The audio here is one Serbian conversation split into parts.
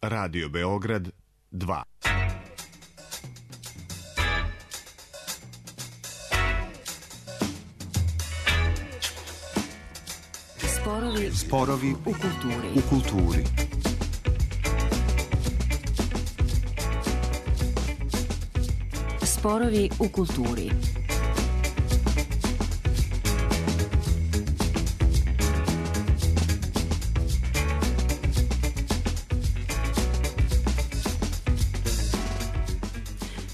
Radio Beograd 2. Sporovi u kulturi. Sporovi u kulturi.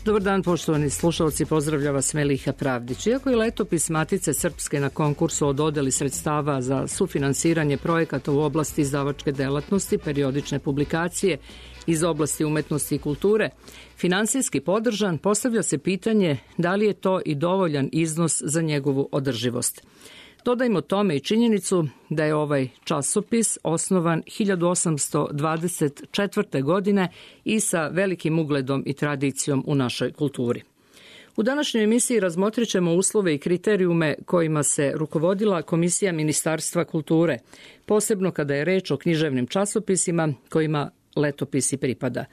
Dobar dan, poštovani slušalci, pozdravlja vas Meliha Pravdić. Iako je letopis Matice Srpske na konkursu o dodeli sredstava za sufinansiranje projekata u oblasti izdavačke delatnosti, periodične publikacije iz oblasti umetnosti i kulture, finansijski podržan, postavlja se pitanje da li je to i dovoljan iznos za njegovu održivost. Dodajmo tome i činjenicu da je ovaj časopis osnovan 1824. godine i sa velikim ugledom i tradicijom u našoj kulturi. U današnjoj emisiji razmotrit ćemo uslove i kriterijume kojima se rukovodila Komisija Ministarstva kulture, posebno kada je reč o književnim časopisima kojima letopisi pripada.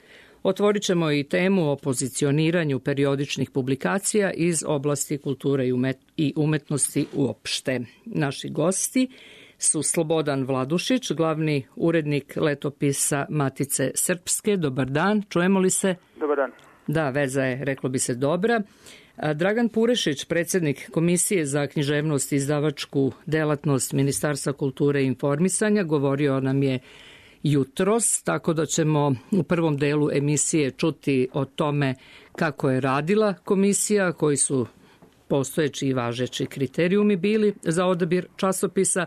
Otvorit ćemo i temu o pozicioniranju periodičnih publikacija iz oblasti kulture i umetnosti uopšte. Naši gosti su Slobodan Vladušić, glavni urednik letopisa Matice Srpske. Dobar dan, čujemo li se? Dobar dan. Da, veza je, reklo bi se, dobra. Dragan Purešić, predsjednik Komisije za književnost i izdavačku delatnost Ministarstva kulture i informisanja, govorio nam je jutros, tako da ćemo u prvom delu emisije čuti o tome kako je radila komisija, koji su postojeći i važeći kriterijumi bili za odabir časopisa,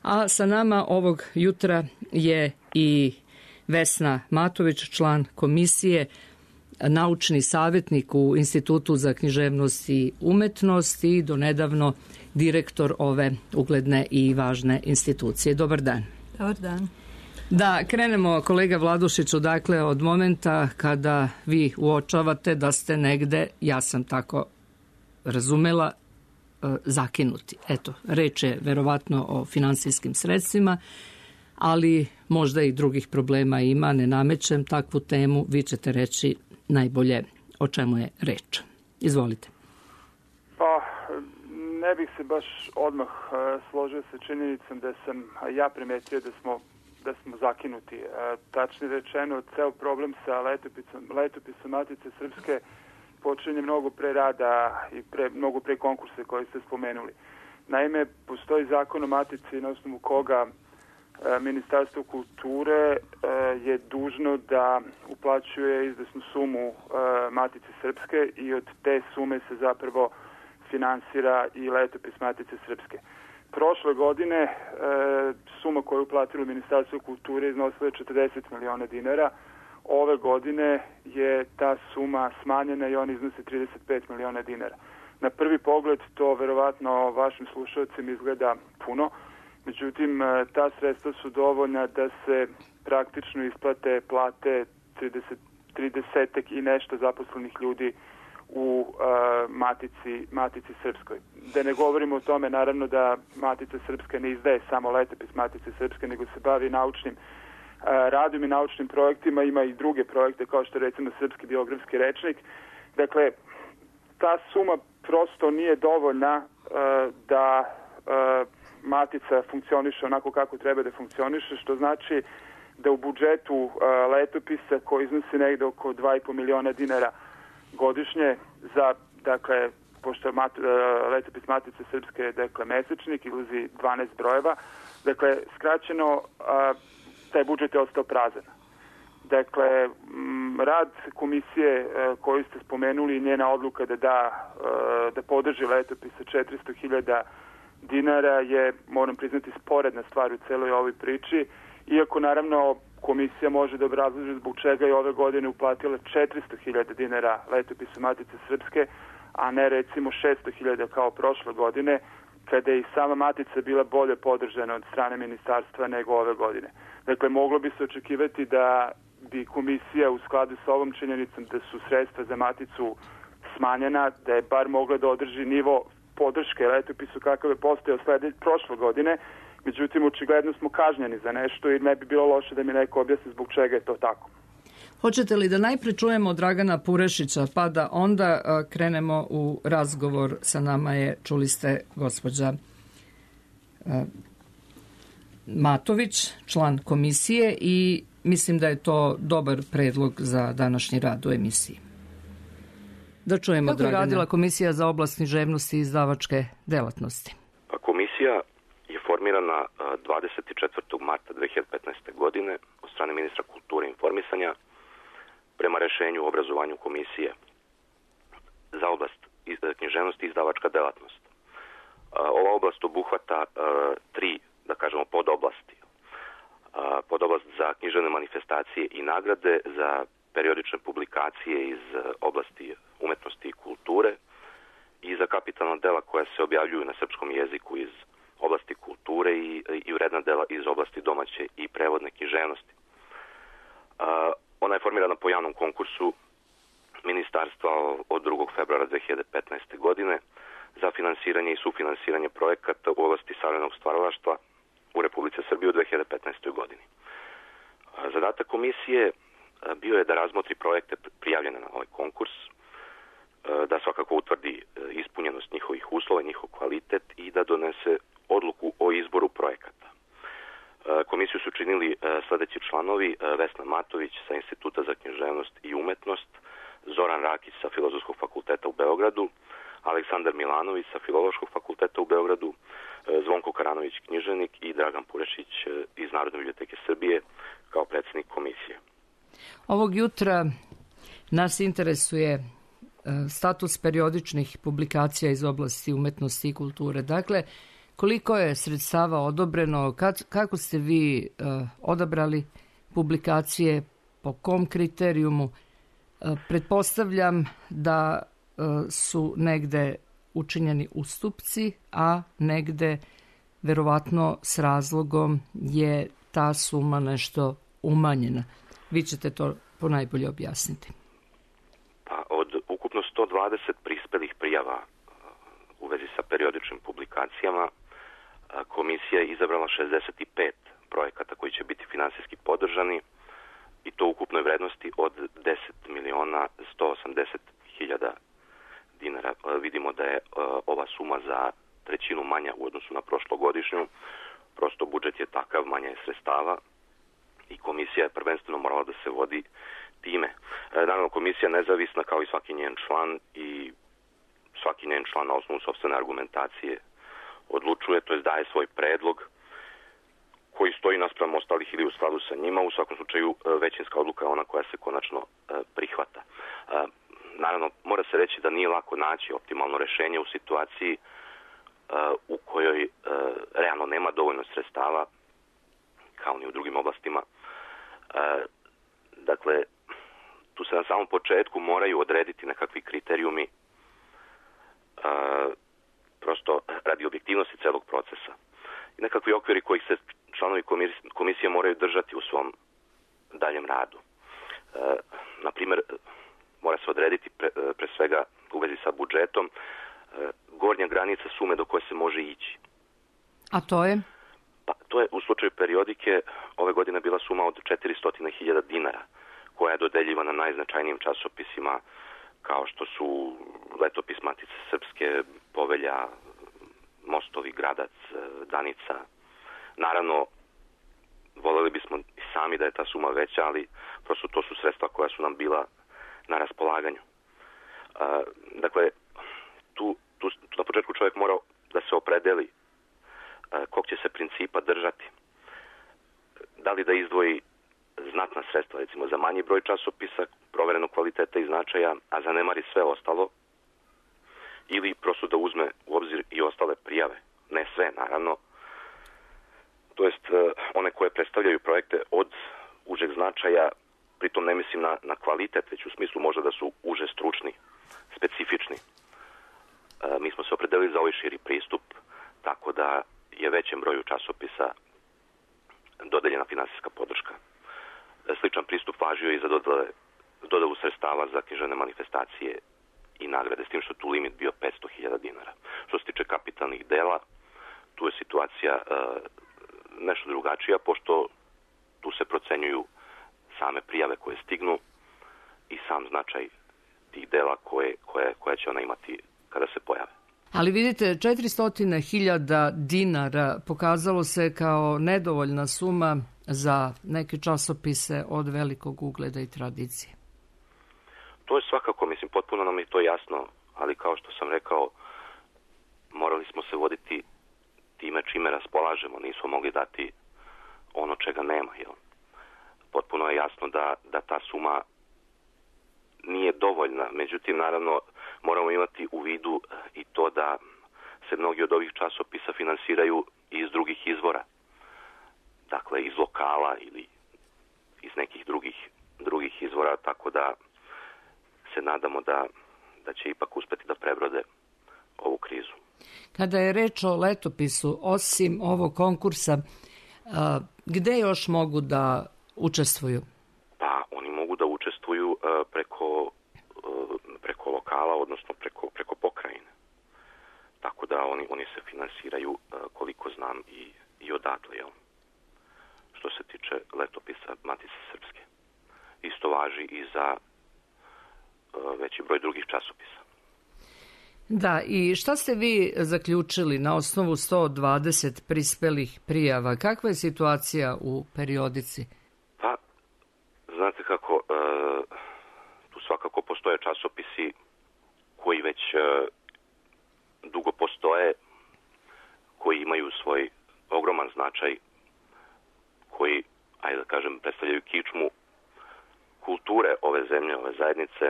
a sa nama ovog jutra je i Vesna Matović, član komisije, naučni savjetnik u Institutu za književnost i umetnost i donedavno direktor ove ugledne i važne institucije. Dobar dan. Dobar dan. Da, krenemo, kolega Vladušiću, dakle od momenta kada vi uočavate da ste negde, ja sam tako razumela, zakinuti. Eto, reč je verovatno o finansijskim sredstvima, ali možda i drugih problema ima, ne namećem takvu temu, vi ćete reći najbolje o čemu je reč. Izvolite. Pa, ne bih se baš odmah složio sa činjenicom da sam ja primetio da smo zakinuti. Tačnije rečeno, ceo problem sa letopisom Matice Srpske počinje mnogo pre rada i mnogo pre konkursa koji ste spomenuli. Naime, postoji zakon o Matici na osnovu koga Ministarstvo kulture je dužno da uplaćuje izvesnu sumu Matice Srpske i od te sume se zapravo finansira i letopis Matice Srpske. Prošle godine suma koju je uplatilo Ministarstvo kulture iznosila je 40 miliona dinara. Ove godine je ta suma smanjena i on iznosi 35 miliona dinara. Na prvi pogled to verovatno vašim slušalcima izgleda puno, međutim ta sredstva su dovoljna da se praktično isplate plate 30 i nešto zaposlenih ljudi u Matici Srpskoj. Da ne govorimo o tome, naravno, da Matica Srpska ne izdaje samo letopis Matice Srpske, nego se bavi naučnim radom i naučnim projektima, ima i druge projekte kao što je recimo Srpski biografski rečnik. Dakle, ta suma prosto nije dovoljna da Matica funkcioniše onako kako treba da funkcioniše, što znači da u budžetu letopisa koji iznosi negde oko 2,5 miliona dinara godišnje za, dakle, pošto letopis Matice Srpske, dakle, mesečnik, izlazi 12 brojeva, dakle, skraćeno, taj budžet je ostao prazan. Dakle, rad komisije koju ste spomenuli i njena odluka da podrži letopis sa 400.000 dinara je, moram priznati, sporedna stvar u celoj ovoj priči, iako naravno komisija može da obrazloži zbog čega je ove godine uplatila 400.000 dinara letopisu Matice Srpske, a ne recimo 600.000 kao prošle godine, kada je i sama Matica bila bolje podržana od strane ministarstva nego ove godine. Dakle, moglo bi se očekivati da bi komisija u skladu sa ovom činjenicom da su sredstva za Maticu smanjena, da je bar mogla da održi nivo podrške letopisu kakav je postojao prošle godine. Međutim, očigledno smo kažnjeni za nešto i ne bi bilo loše da mi neko objasni zbog čega je to tako. Hoćete li da najpre čujemo Dragana Purešića, pa da onda krenemo u razgovor sa nama je, čuli ste, gospođa Matović, član komisije, i mislim da je to dobar predlog za današnji rad u emisiji. Da čujemo, Dragana. Kako je radila Komisija za oblast književnosti i izdavačke delatnosti? Komisija je formirana 24. marta 2015. godine od strane ministra kulture i informisanja prema rešenju o obrazovanju Komisije za oblast književnosti i izdavačka delatnost. Ova oblast obuhvata tri, da kažemo, podoblasti. Podoblast za književne manifestacije i nagrade, za periodične publikacije iz oblasti umetnosti i kulture i za kapitalna dela koja se objavljuju na srpskom jeziku iz oblasti kulture i vredna dela iz oblasti domaće i prevodne književnosti. Ona je formirana po javnom konkursu ministarstva od 2. februara 2015. godine za finansiranje i sufinansiranje projekata u oblasti savremenog stvaralaštva u Republici Srbiji u 2015. godini. Zadatak komisije bio je da razmotri projekte prijavljene na ovaj konkurs, da svakako utvrdi ispunjenost njihovih uslova, njihov kvalitet i da donese odluku o izboru projekata. Komisiju su činili sledeći članovi: Vesna Matović sa Instituta za književnost i umetnost, Zoran Rakić sa Filozofskog fakulteta u Beogradu, Aleksandar Milanović sa Filološkog fakulteta u Beogradu, Zvonko Karanović, književnik, i Dragan Purešić iz Narodne biblioteke Srbije kao predsjednik komisije. Ovog jutra nas interesuje status periodičnih publikacija iz oblasti umetnosti i kulture. Dakle, koliko je sredstava odobreno, kako ste vi odabrali publikacije, po kom kriterijumu? Pretpostavljam da su negde učinjeni ustupci, a negde verovatno s razlogom je ta suma nešto umanjena. Vi ćete to ponajbolje objasniti. Pa od ukupno 120 prispelih prijava u vezi sa periodičnim publikacijama, komisija je izabrala 65 projekata koji će biti finansijski podržani, i to u ukupnoj vrednosti od 10.180.000 dinara. Vidimo da je ova suma za trećinu manja u odnosu na prošlogodišnju. Prosto budžet je takav, manje je sredstava i komisija je prvenstveno morala da se vodi time. Naravno, komisija je nezavisna kao i svaki njen član, i svaki njen član na osnovu sopstvene argumentacije odlučuje, to jest daje svoj predlog koji stoji naspram ostalih ili u skladu sa njima. U svakom slučaju većinska odluka je ona koja se konačno prihvata. Naravno, mora se reći da nije lako naći optimalno rešenje u situaciji u kojoj realno nema dovoljno sredstava, kao ni u drugim oblastima. Dakle, tu se na samom početku moraju odrediti nekakvi kriterijumi, prosto radi objektivnosti celog procesa. I nekakvi okviri kojih se članovi komisije moraju držati u svom daljem radu. Naprimjer, mora se odrediti pre svega u vezi sa budžetom gornja granica sume do koje se može ići. A to je? Pa, to je u slučaju periodike ove godine bila suma od 400.000 dinara, koja je dodeljivana najznačajnijim časopisima kao što su Letopis Matice Srpske, Povelja, Mostovi, Gradac, Danica. Naravno, voljeli bismo i sami da je ta suma veća, ali prosto to su sredstva koja su nam bila na raspolaganju. Dakle, tu na početku čovjek mora da se opredeli kog će se principa držati. Da li da izdvoji znatna sredstva, recimo za manji broj časopisa, proverenog kvaliteta i značaja, a zanemari sve ostalo, ili prosto da uzme u obzir i ostale prijave. Ne sve, naravno. To jest one koje predstavljaju projekte od užeg značaja, pritom ne mislim na kvalitet, već u smislu možda da su uže stručni, specifični. Mi smo se opredelili za ovaj širi pristup, tako da je većem broju časopisa dodeljena finansijska podrška. Sličan pristup važio i za dodelu sredstava za književne manifestacije i nagrade, s tim što tu limit bio 500.000 dinara. Što se tiče kapitalnih dela, tu je situacija nešto drugačija, pošto tu se procenjuju same prijave koje stignu i sam značaj tih dela koje će ona imati kada se pojave. Ali vidite, 400.000 dinara pokazalo se kao nedovoljna suma za neke časopise od velikog ugleda i tradicije. To je svakako, potpuno nam je to jasno, ali kao što sam rekao, morali smo se voditi time čime raspolažemo, nismo mogli dati ono čega nema. Jel? Potpuno je jasno da ta suma nije dovoljna, međutim, naravno, moramo imati u vidu i to da se mnogi od ovih časopisa finansiraju iz drugih izvora. Dakle, iz lokala ili iz nekih drugih izvora, tako da se nadamo da će ipak uspeti da prebrode ovu krizu. Kada je reč o letopisu, osim ovog konkursa, gde još mogu da učestvuju? Pa, oni mogu da učestvuju preko lokala, odnosno preko pokrajine. Tako da oni se finansiraju, koliko znam, i odatle, jel? Što se tiče letopisa Matice Srpske. Isto važi i za veći broj drugih časopisa. Da, i šta ste vi zaključili na osnovu 120 prispelih prijava? Kakva je situacija u periodici? Pa, znate kako, tu svakako postoje časopisi koji već dugo postoje, koji imaju svoj ogroman značaj, koji, ajde da kažem, predstavljaju kičmu kulture ove zemlje, ove zajednice,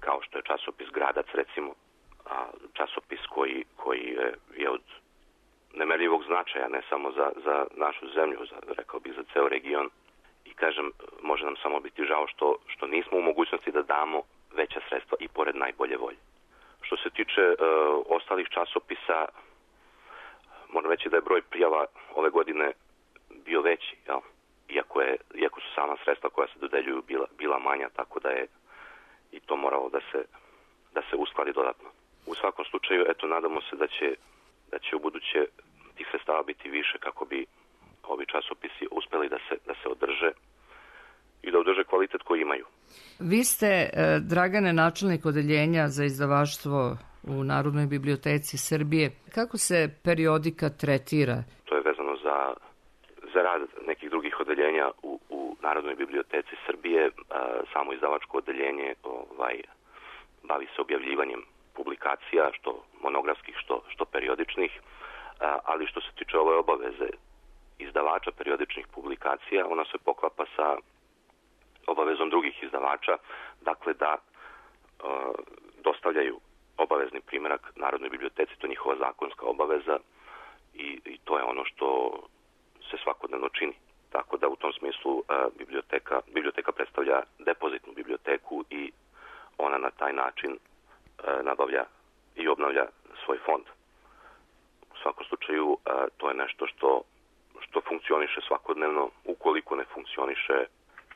kao što je časopis Gradac, recimo, časopis koji je od nemerljivog značaja, ne samo za našu zemlju, rekao bih za ceo region. I kažem, može nam samo biti žao što nismo u mogućnosti da damo veća sredstva i pored najbolje volje. Što se tiče ostalih časopisa, moram reći da je broj prijava ove godine bio veći, jel? Iako su sama sredstva koja se dodeljuju bila manja, tako da je i to moralo da se uskladi dodatno. U svakom slučaju, nadamo se da će u buduće tih sredstava biti više kako bi ovi časopisi uspeli da se održe i da održe kvalitet koji imaju. Vi ste, Dragane, načelnik odeljenja za izdavaštvo u Narodnoj biblioteci Srbije. Kako se periodika tretira? To je vezano za rad nekih drugih odeljenja u Narodnoj biblioteci Srbije. Samo izdavačko odeljenje bavi se objavljivanjem publikacija, što monografskih, što periodičnih, ali što se tiče ove obaveze izdavača periodičnih publikacija, ona se poklapa sa obavezom drugih izdavača, dakle da dostavljaju obavezni primerak Narodnoj biblioteci, to je njihova zakonska obaveza i to je ono što se svakodnevno čini. Tako da u tom smislu biblioteka predstavlja depozitnu biblioteku i ona na taj način nabavlja i obnavlja svoj fond. U svakom slučaju to je nešto što funkcioniše svakodnevno. Ukoliko ne funkcioniše,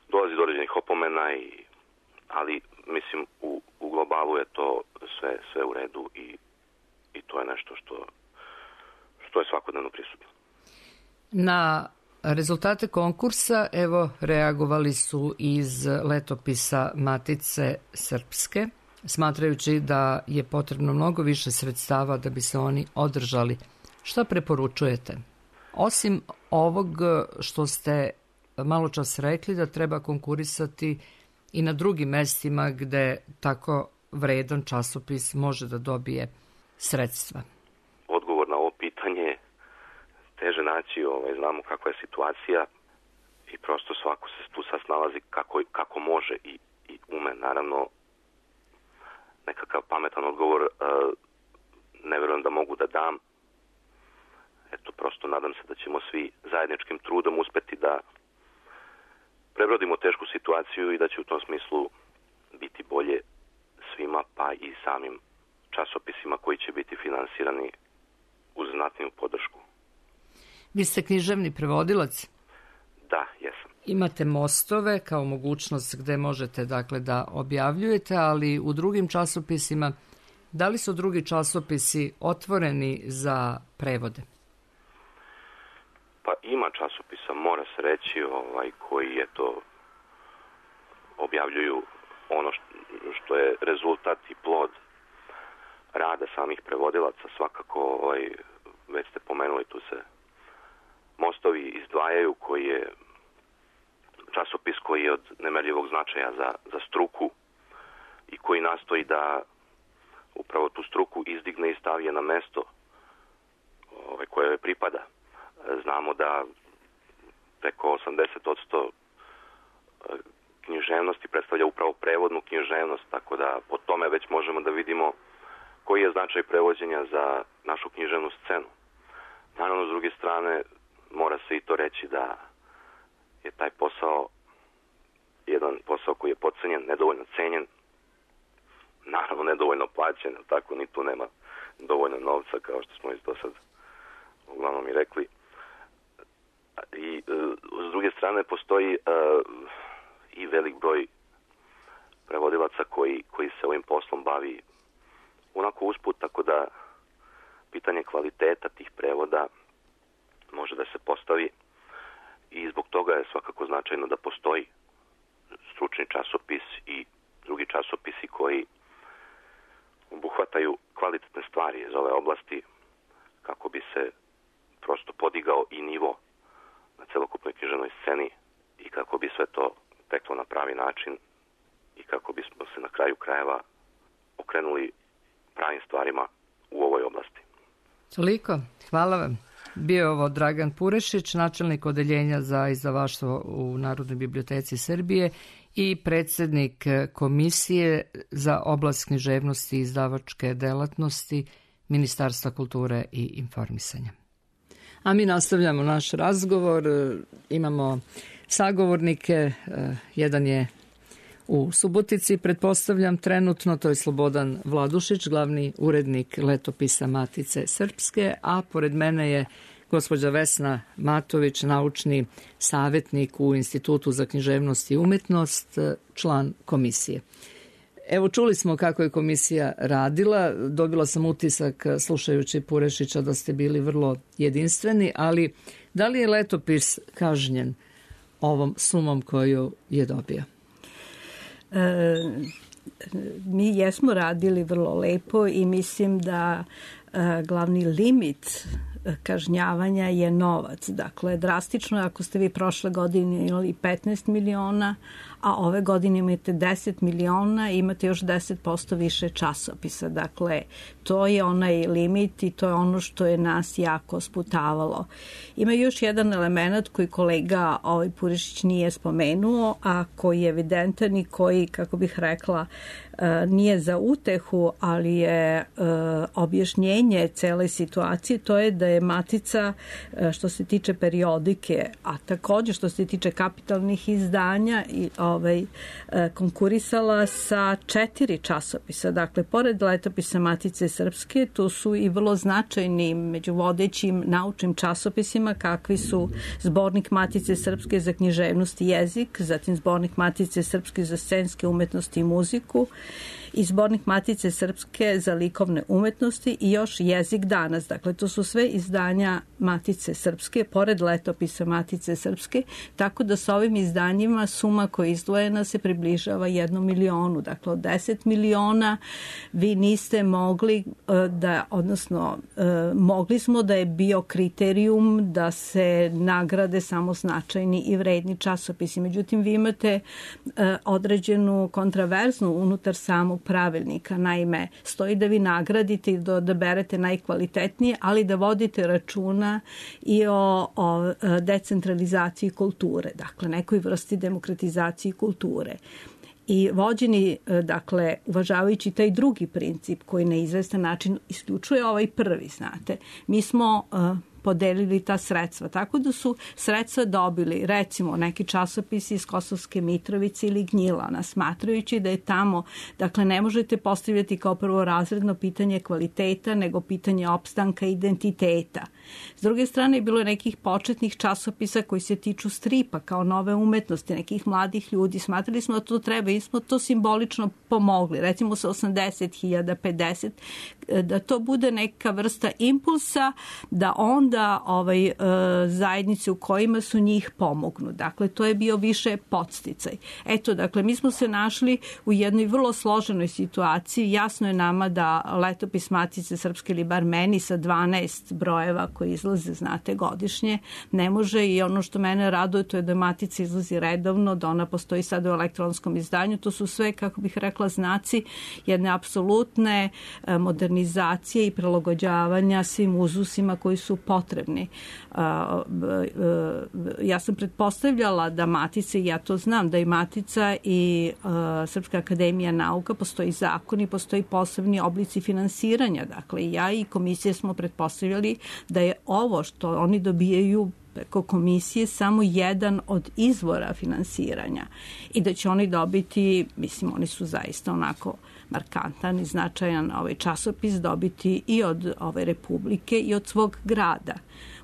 dolazi do određenih opomena, ali mislim u globalu je to sve u redu i to je nešto što je svakodnevno prisutno. Na rezultate konkursa, evo, reagovali su iz letopisa Matice Srpske, smatrajući da je potrebno mnogo više sredstava da bi se oni održali. Šta preporučujete? Osim ovog što ste malo čas rekli da treba konkurisati i na drugim mestima gde tako vredan časopis može da dobije sredstva. Odgovor na ovo pitanje teže naći, znamo kakva je situacija i prosto svako se tu sad snalazi kako može i ume. Naravno, nekakav pametan odgovor ne verujem da mogu da dam. Prosto nadam se da ćemo svi zajedničkim trudom uspeti da prebrodimo tešku situaciju i da će u tom smislu biti bolje svima, pa i samim časopisima koji će biti finansirani uz znatniju podršku. Vi ste književni prevodilac? Da, jesam. Imate mostove kao mogućnost gde možete da objavljujete, ali u drugim časopisima, da li su drugi časopisi otvoreni za prevode? Pa ima časopisa, mora se reći, koji objavljuju ono što je rezultat i plod rada samih prevodilaca. Svakako, već ste pomenuli, tu se Mostovi izdvajaju, koji je časopis koji je od nemerljivog značaja za struku i koji nastoji da upravo tu struku izdigne i stavi je na mesto koje joj pripada. Znamo da preko 80% književnosti predstavlja upravo prevodnu književnost, tako da po tome već možemo da vidimo koji je značaj prevođenja za našu književnu scenu. Naravno, s druge strane, mora se i to reći da je taj posao jedan posao koji je podcenjen, nedovoljno cenjen, naravno nedovoljno plaćen, tako ni tu nema dovoljno novca, kao što smo i do sad uglavnom i rekli. I s druge strane postoji i velik broj prevodilaca koji se ovim poslom bavi onako usput, tako da pitanje kvaliteta tih prevoda može da se postavi i zbog toga je svakako značajno da postoji stručni časopis i drugi časopisi koji obuhvataju kvalitetne stvari iz ove oblasti kako bi se prosto podigao i nivo na celokupnoj književnoj sceni i kako bi sve to teklo na pravi način i kako bismo se na kraju krajeva okrenuli pravim stvarima u ovoj oblasti. Toliko. Hvala vam. Bio je ovo Dragan Purešić, načelnik odeljenja za izdavaštvo u Narodnoj biblioteci Srbije i predsjednik Komisije za oblast književnosti i izdavačke delatnosti Ministarstva kulture i informisanja. A mi nastavljamo naš razgovor. Imamo sagovornike. Jedan je u Subotici, pretpostavljam trenutno, to je Slobodan Vladušić, glavni urednik letopisa Matice Srpske, a pored mene je gospođa Vesna Matović, naučni savjetnik u Institutu za književnost i umetnost, član komisije. Evo, čuli smo kako je komisija radila, dobila sam utisak slušajući Purešića da ste bili vrlo jedinstveni, ali da li je letopis kažnjen ovom sumom koju je dobio? Mi jesmo radili vrlo lepo i mislim da glavni limit kažnjavanja je novac. Dakle, drastično je ako ste vi prošle godine imali 15 miliona, a ove godine imate 10 miliona i imate još 10% više časopisa. Dakle, to je onaj limit i to je ono što je nas jako sputavalo. Ima još jedan element koji kolega Purešić nije spomenuo, a koji je evidentan i koji, kako bih rekla, nije za utehu, ali je objašnjenje cele situacije. To je da je Matica, što se tiče periodike, a također što se tiče kapitalnih izdanja i konkurisala sa 4 časopisa. Dakle, pored letopisa Matice Srpske, tu su i vrlo značajni među vodećim naučnim časopisima kakvi su Zbornik Matice Srpske za književnost i jezik, zatim Zbornik Matice Srpske za scenske umetnosti i muziku i Zbornik Matice Srpske za likovne umetnosti i još Jezik danas. Dakle, to su sve izdanja Matice Srpske, pored letopisa Matice Srpske, tako da sa ovim izdanjima suma koja je izdvojena se približava 1 milionu. Dakle, od 10 miliona vi niste mogli da, odnosno mogli smo da je bio kriterijum da se nagrade samo značajni i vredni časopisi. Međutim, vi imate određenu kontraverznu unutar samog pravilnika. Naime, stoji da vi nagradite i da odaberete najkvalitetnije, ali da vodite računa i o decentralizaciji kulture, dakle nekoj vrsti demokratizaciji kulture. I vođeni, dakle, uvažavajući taj drugi princip koji na izvestan način isključuje ovaj prvi, znate, mi smo podelili ta sredstva. Tako da su sredstva dobili, recimo, neki časopisi iz Kosovske Mitrovice ili Gnjilana, smatrajući da je tamo, dakle, ne možete postavljati kao prvorazredno pitanje kvaliteta, nego pitanje opstanka identiteta. S druge strane, je bilo nekih početnih časopisa koji se tiču stripa kao nove umetnosti, nekih mladih ljudi. Smatrali smo da to treba i smo to simbolično pomogli. Recimo sa 80.000, 50, da to bude neka vrsta impulsa, da onda onda zajednice u kojima su njih pomognu. Dakle, to je bio više podsticaj. Eto, dakle, mi smo se našli u jednoj vrlo složenoj situaciji. Jasno je nama da letopis Matice Srpske, ili bar meni sa 12 brojeva koji izlaze, znate, godišnje, ne može, i ono što mene raduje to je da Matica izlazi redovno, da ona postoji sad u elektronskom izdanju. To su sve, kako bih rekla, znaci jedne apsolutne modernizacije i prilagođavanja svim uzusima koji su potrebni. Ja sam pretpostavljala da Matica, i ja to znam, da i Matica i Srpska akademija nauka, postoji zakoni, postoji posebni oblici finansiranja. Dakle, ja i komisije smo pretpostavljali da je ovo što oni dobijaju preko komisije samo jedan od izvora finansiranja i da će oni dobiti, mislim, oni su zaista onako markantan i značajan časopis, dobiti i od ove Republike i od svog grada.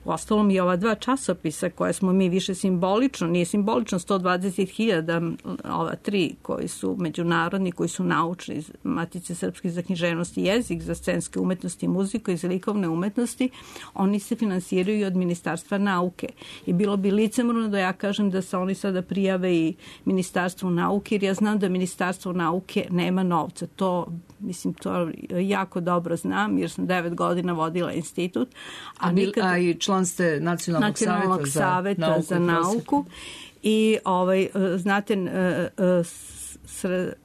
Uostalom i ova dva časopisa koje smo mi više simbolično, nije simbolično 120.000, ova tri koji su međunarodni, koji su naučni, iz Matice Srpske za književnost i jezik, za scenske umetnosti i muziku i za likovne umetnosti, oni se finansiraju od Ministarstva nauke. I bilo bi licemorno da ja kažem da se oni sada prijave i Ministarstvu nauke, jer ja znam da Ministarstvo nauke nema novca. To jako dobro znam, jer sam 9 godina vodila institut. A i član ste Nacionalnog saveta za nauku. I znate,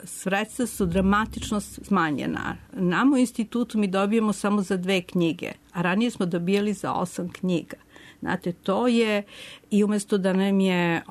sredstva su dramatično smanjena. Nama u institutu mi dobijemo samo za 2 knjige, a ranije smo dobijali za 8 knjiga. Znate, to je, i umesto da nam je,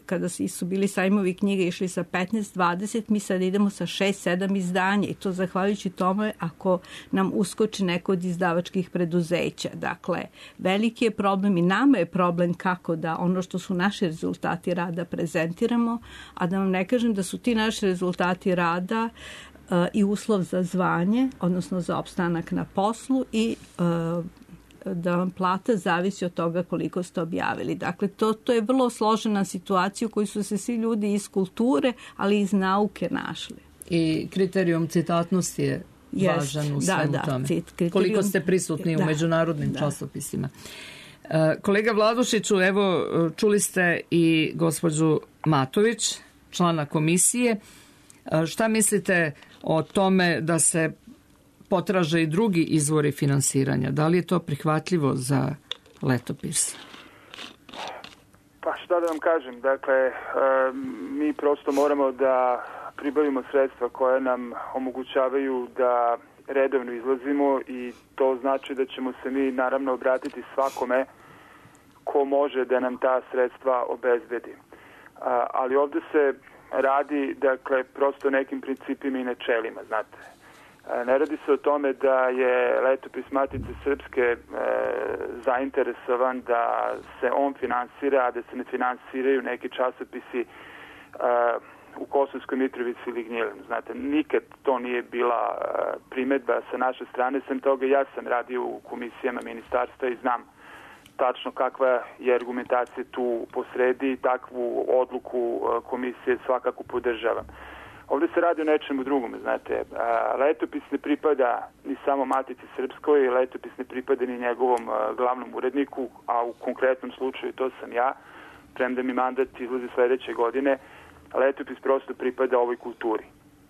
kada su bili sajmovi knjiga išli sa 15-20, mi sad idemo sa 6-7 izdanja, i to zahvaljujući tome ako nam uskoči neko od izdavačkih preduzeća. Dakle, veliki je problem i nama je problem kako da ono što su naši rezultati rada prezentiramo, a da vam ne kažem da su ti naši rezultati rada i uslov za zvanje, odnosno za opstanak na poslu, i da vam plata zavisi od toga koliko ste objavili. Dakle, to je vrlo složena situacija u kojoj su se svi ljudi iz kulture, ali i iz nauke našli. I kriterijum citatnosti je važan u svemu tome. Koliko ste prisutni u međunarodnim časopisima. Kolega Vladušiću, evo, čuli ste i gospođu Matović, člana komisije. Šta mislite o tome da se potraže i drugi izvori finansiranja? Da li je to prihvatljivo za letopis? Pa šta da vam kažem, dakle, mi prosto moramo da pribavimo sredstva koje nam omogućavaju da redovno izlazimo, i to znači da ćemo se mi naravno obratiti svakome ko može da nam ta sredstva obezbedi. Ali ovde se radi, dakle, prosto nekim principima i načelima, znate. Ne radi se o tome da je letopis Matice Srpske zainteresovan da se on finansira, a da se ne finansiraju neki časopisi u Kosovskoj Mitrovici ili Gnjilanu. Znate, nikad to nije bila primedba sa naše strane. Sem toga, ja sam radio u komisijama ministarstva i znam tačno kakva je argumentacija tu posredi, i takvu odluku komisije svakako podržavam. Ovdje se radi o nečemu drugom, znate. Letopis ne pripada ni samo Matici Srpskoj, letopis ne pripada ni njegovom glavnom uredniku, a u konkretnom slučaju to sam ja, premda mi mandat izlazi sledeće godine. Letopis prosto pripada ovoj kulturi.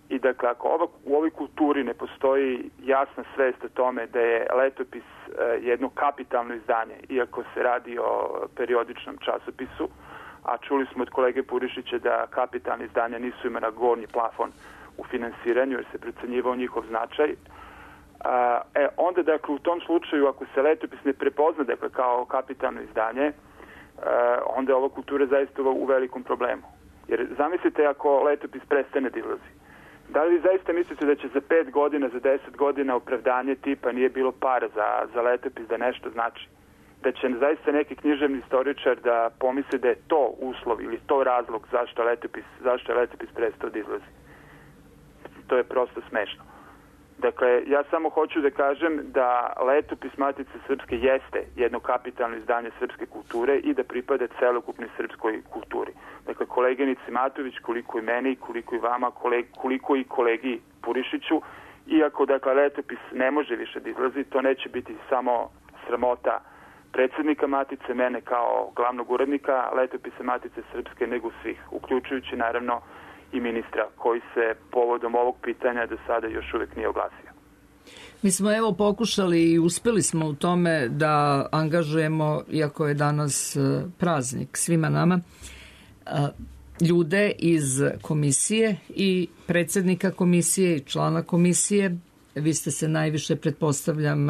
I dakle, ako u ovoj kulturi ne postoji jasna svest o tome da je letopis jedno kapitalno izdanje, iako se radi o periodičnom časopisu, a čuli smo od kolege Purišića da kapitalne izdanja nisu imena gornji plafon u finansiranju, jer se procenjivao njihov značaj. Onda, dakle, u tom slučaju, ako se letopis ne prepozna, dakle, kao kapitalno izdanje, onda je ova kultura zaista u velikom problemu. Jer zamislite ako letopis prestane da izlazi. Da li vi zaista mislite da će za 5 godina, za 10 godina opravdanje tipa nije bilo para za letopis da nešto znači? Da će zaista neki književni istoričar da pomisli da je to uslov ili to razlog zašto je letopis prestao da izlazi? To je prosto smešno. Dakle, ja samo hoću da kažem da letopis Matice Srpske jeste jedno kapitalno izdanje srpske kulture i da pripada celokupnoj srpskoj kulturi. Dakle, koleginici Matović, koliko i meni, koliko i vama, koliko i kolegi Purišiću, iako, dakle, letopis ne može više da izlazi, to neće biti samo sramota predsjednika Matice, mene kao glavnog urednika Letopisa Matice Srpske, nego svih, uključujući naravno i ministra koji se povodom ovog pitanja do sada još uvijek nije oglasio. Mi smo evo pokušali i uspjeli smo u tome da angažujemo, iako je danas praznik svima nama, ljude iz komisije i predsjednika komisije i člana komisije. Vi ste se najviše, pretpostavljam,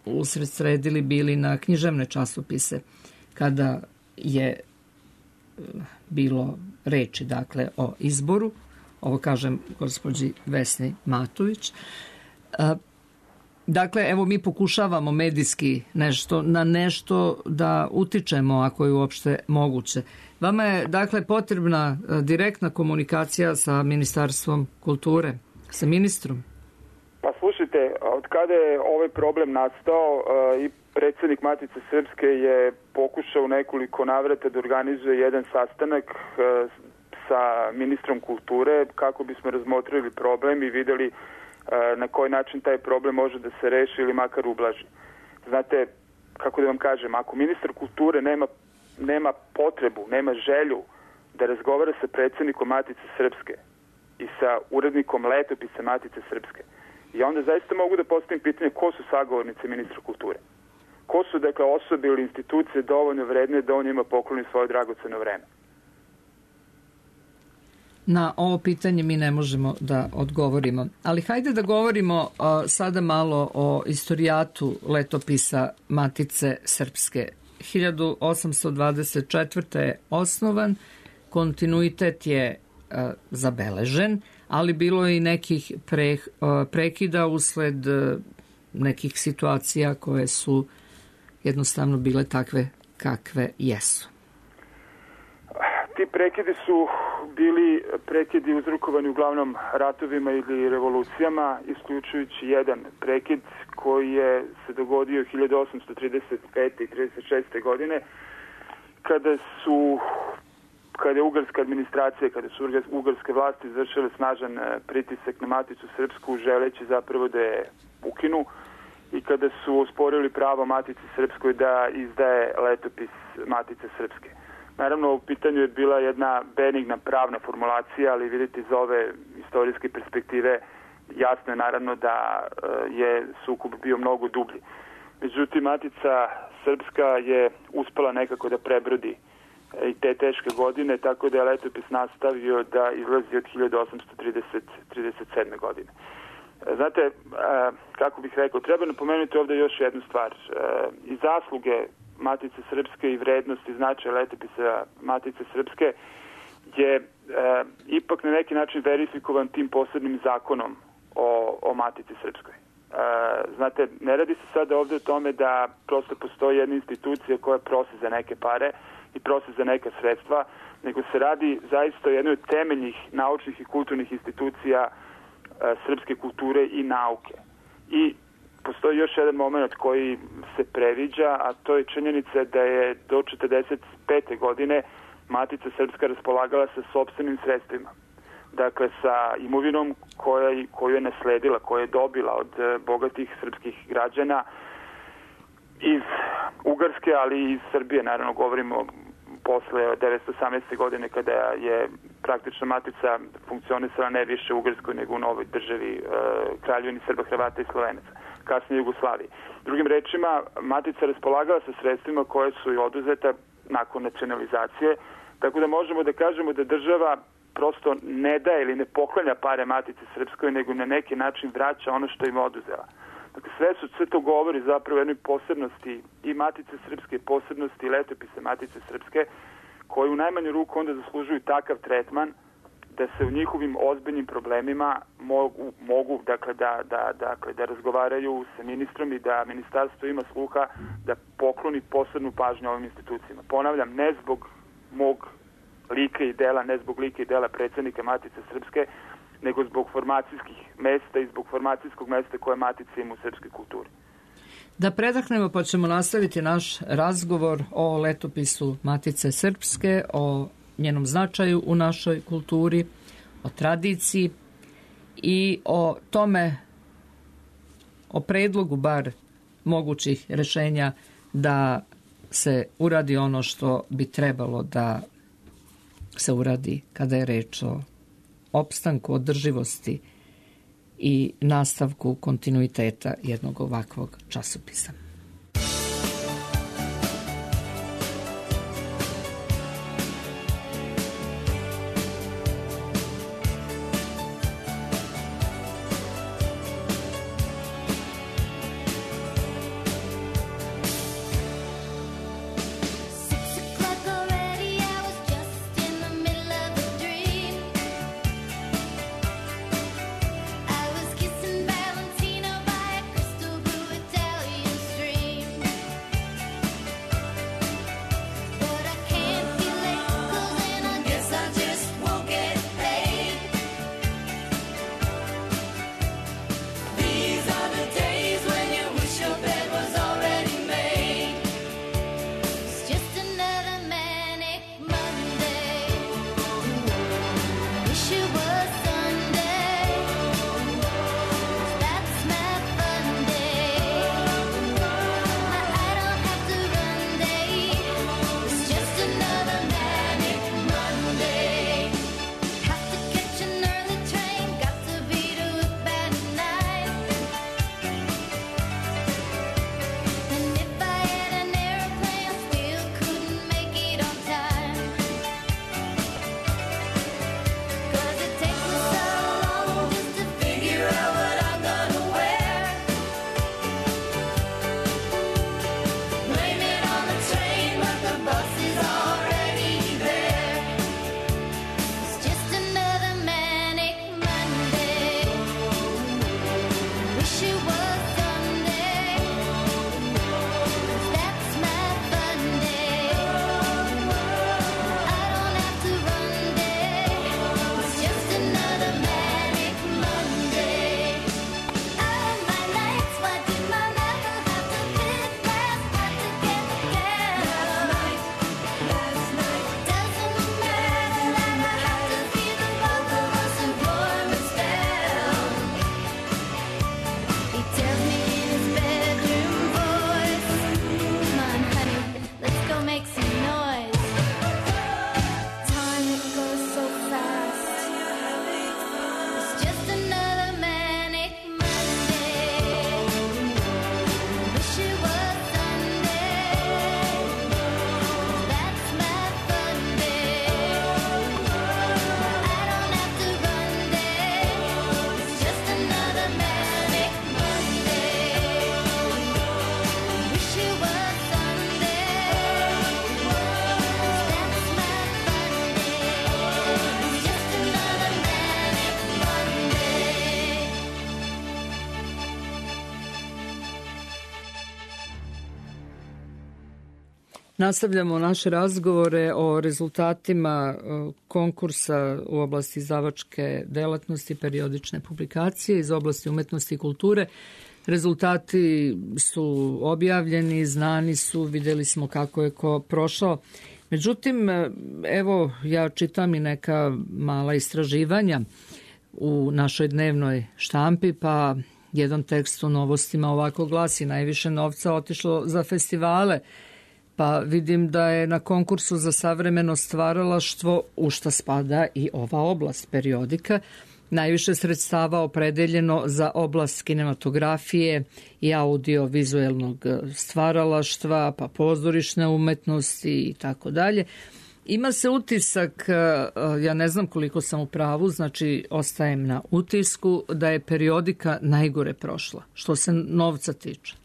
usredsredili bili na književne časopise kada je bilo reči, dakle, o izboru. Ovo kažem gospođi Vesni Matović. Dakle, evo mi pokušavamo medijski na nešto da utičemo, ako je uopšte moguće. Vama je, dakle, potrebna direktna komunikacija sa Ministarstvom kulture, sa ministrom? Pa slušajte, od kada je ovaj problem nastao i predsjednik Matice Srpske je pokušao u nekoliko navrata da organizuje jedan sastanak sa ministrom kulture kako bismo razmotrili problem i vidjeli na koji način taj problem može da se reši ili makar ublaži. Znate, kako da vam kažem, ako ministar kulture nema potrebu, nema želju da razgovara sa predsjednikom Matice Srpske i sa urednikom Letopisa Matice Srpske, i onda zaista mogu da postavim pitanje ko su sagovornice ministra kulture. Ko su, dakle, osobe ili institucije dovoljno vredne da on njima pokloni svoje dragoceno vreme? Na ovo pitanje mi ne možemo da odgovorimo. Ali hajde da govorimo sada malo o istorijatu Letopisa Matice Srpske. 1824. je osnovan, kontinuitet je zabeležen, ali bilo je i nekih prekida usled nekih situacija koje su jednostavno bile takve kakve jesu. Ti prekidi su bili prekidi uzrokovani uglavnom ratovima ili revolucijama, isključujući jedan prekid koji je se dogodio 1835. i 36. godine, kada je ugarska administracija, kada su ugarske vlasti izvršile snažan pritisak na Maticu Srpsku, želeći zapravo da je ukinu, i kada su osporili pravo Matici Srpskoj da izdaje Letopis Matice Srpske. Naravno, u pitanju je bila jedna benigna pravna formulacija, ali vidite iz ove istorijske perspektive jasno je naravno da je sukob bio mnogo dublji. Međutim, Matica Srpska je uspela nekako da prebrodi i te teške godine, tako da je Letopis nastavio da izlazi od 1837. godine. Znate, kako bih rekao, treba napomenuti ovdje još jednu stvar. I zasluge Matice Srpske i vrednost i značaj Letopisa Matice Srpske je ipak na neki način verifikovan tim posebnim zakonom o Matici Srpskoj. Znate, ne radi se sada ovdje o tome da prosto postoji jedna institucija koja prosi za neke pare i prosi za neka sredstva, nego se radi zaista o jednoj od temeljnih naučnih i kulturnih institucija srpske kulture i nauke. I postoji još jedan moment koji se previđa, a to je činjenica da je do 1945. godine Matica Srpska raspolagala sa sopstvenim sredstvima. Dakle, sa imovinom koju je nasledila, koju je dobila od bogatih srpskih građana iz Ugarske, ali i iz Srbije. Naravno, govorimo posle 1918. godine kada je praktično Matica funkcionisala ne više u Ugarskoj nego u novoj državi Kraljevini Srba, Hrvata i Slovenaca, kasnije Jugoslaviji. Drugim rečima, Matica raspolagala sa sredstvima koje su i oduzeta nakon nacionalizacije, tako da možemo da kažemo da država prosto ne daje ili ne poklanja pare Matici Srpskoj, nego na neki način vraća ono što im oduzela. Dakle, sve to govori zapravo o jednoj posebnosti i Matice Srpske, posebnosti i Letopise Matice Srpske, koji u najmanju ruku onda zaslužuju takav tretman da se u njihovim ozbiljnim problemima mogu da razgovaraju sa ministrom i da ministarstvo ima sluha da pokloni posebnu pažnju ovim institucijama. Ponavljam, ne zbog mog lika i dela, ne zbog lika i dela predsjednika Matice Srpske, nego zbog formacijskih mesta i zbog formacijskog mesta koje Matica ima u srpskoj kulturi. Da predahnemo pa ćemo nastaviti naš razgovor o Letopisu Matice Srpske, o njenom značaju u našoj kulturi, o tradiciji i o tome, o predlogu bar mogućih rešenja da se uradi ono što bi trebalo da se uradi kada je reč o opstanku, održivosti i nastavku kontinuiteta jednog ovakvog časopisa. Nastavljamo naše razgovore o rezultatima konkursa u oblasti izdavačke delatnosti, periodične publikacije iz oblasti umetnosti i kulture. Rezultati su objavljeni, znani su, vidjeli smo kako je ko prošao. Međutim, evo, ja čitam i neka mala istraživanja u našoj dnevnoj štampi, pa jedan tekst u Novostima ovako glasi: najviše novca otišlo za festivale, pa vidim da je na konkursu za savremeno stvaralaštvo, u šta spada i ova oblast periodika, najviše sredstava opredeljeno za oblast kinematografije i audio-vizuelnog stvaralaštva, pa pozorišne umetnosti i tako dalje. Ima se utisak, ja ne znam koliko sam u pravu, znači ostajem na utisku, da je periodika najgore prošla, što se novca tiče.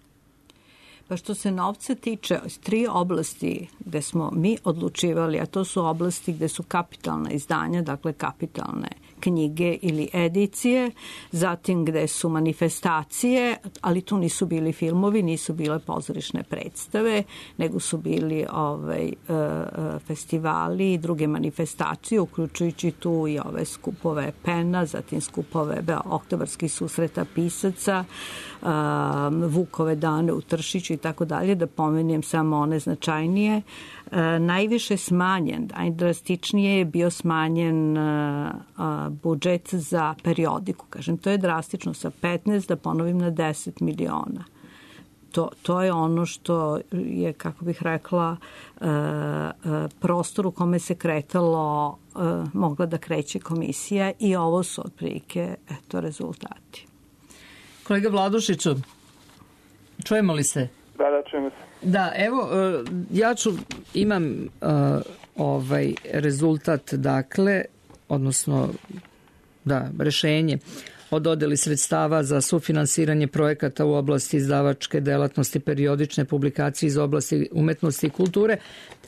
Pa što se novca tiče, 3 oblasti gde smo mi odlučivali, a to su oblasti gde su kapitalna izdanja, dakle kapitalne knjige ili edicije, zatim gde su manifestacije, ali tu nisu bili filmovi, nisu bile pozorišne predstave, nego su bili festivali i druge manifestacije, uključujući tu i ove skupove PEN-a, zatim skupove oktobarskih susreta pisaca, Vukove dane u Tršiću i tako dalje, da pomenem samo one značajnije. Najviše smanjen, najdrastičnije je bio smanjen budžet za periodiku. Kažem, to je drastično sa 15, da ponovim, na 10 miliona. to je ono što je, kako bih rekla, prostor u kome se kretalo, mogla da kreće komisija i ovo su otprilike rezultati. Kolega Vladušiću, čujemo li se? Da, čujemo se. Da, evo, imam rezultat, dakle, odnosno, rešenje o dodeli sredstava za sufinansiranje projekata u oblasti izdavačke delatnosti, periodične publikacije iz oblasti umetnosti i kulture.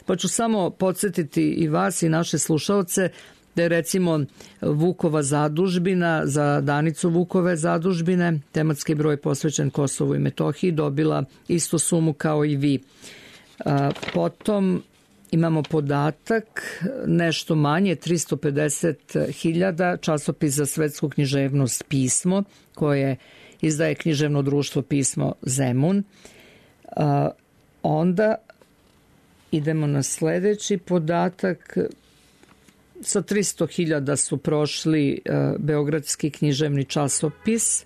Pa ću samo podsjetiti i vas i naše slušaoce da je recimo Vukova zadužbina za Danicu Vukove zadužbine, tematski broj posvećen Kosovu i Metohiji, dobila istu sumu kao i vi. Potom imamo podatak, nešto manje, 350.000, časopis za svetsku književnost Pismo, koje izdaje književno društvo Pismo Zemun. Onda idemo na sledeći podatak. Sa 300.000 su prošli Beogradski književni časopis,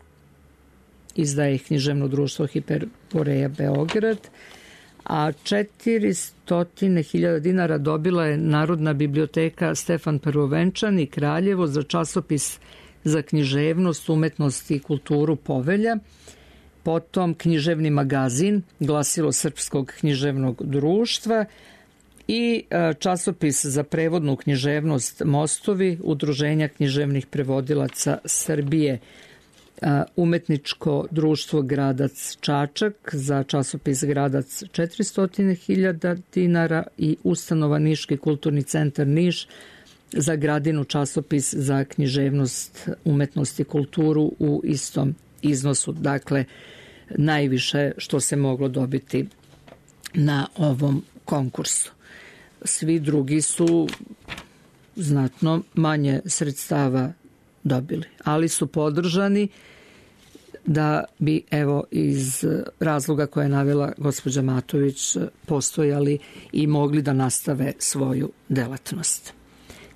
izdaje ih književno društvo Hiperboreja Beograd, a 400.000 dinara dobila je Narodna biblioteka Stefan Prvovenčani Kraljevo za časopis za književnost, umetnost i kulturu Povelja, potom književni magazin Glasilo Srpskog književnog društva i časopis za prevodnu književnost Mostovi Udruženja književnih prevodilaca Srbije, umetničko društvo Gradac Čačak za časopis Gradac 400.000 dinara i ustanova Niški kulturni centar Niš za Gradinu časopis za književnost, umetnost i kulturu u istom iznosu. Dakle, najviše što se moglo dobiti na ovom konkursu. Svi drugi su znatno manje sredstava dobili, ali su podržani da bi, evo, iz razloga koje je navela gospođa Matović, postojali i mogli da nastave svoju delatnost.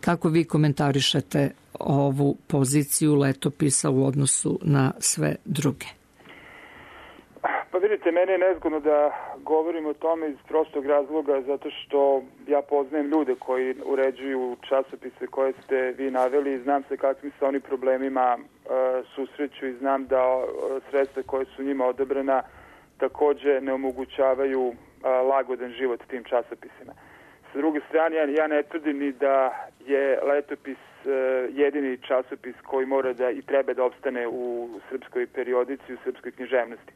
Kako vi komentarišete ovu poziciju letopisa u odnosu na sve druge? Pa vidite, meni je nezgodno da govorim o tome iz prostog razloga, zato što ja poznajem ljude koji uređuju časopise koje ste vi naveli i znam se kakvim se oni problemima susreću i znam da sredstva koje su njima odobrena takođe ne omogućavaju lagodan život tim časopisima. Sa druge strane, ja ne tvrdim ni da je letopis jedini časopis koji mora da i treba da opstane u srpskoj periodici, u srpskoj književnosti.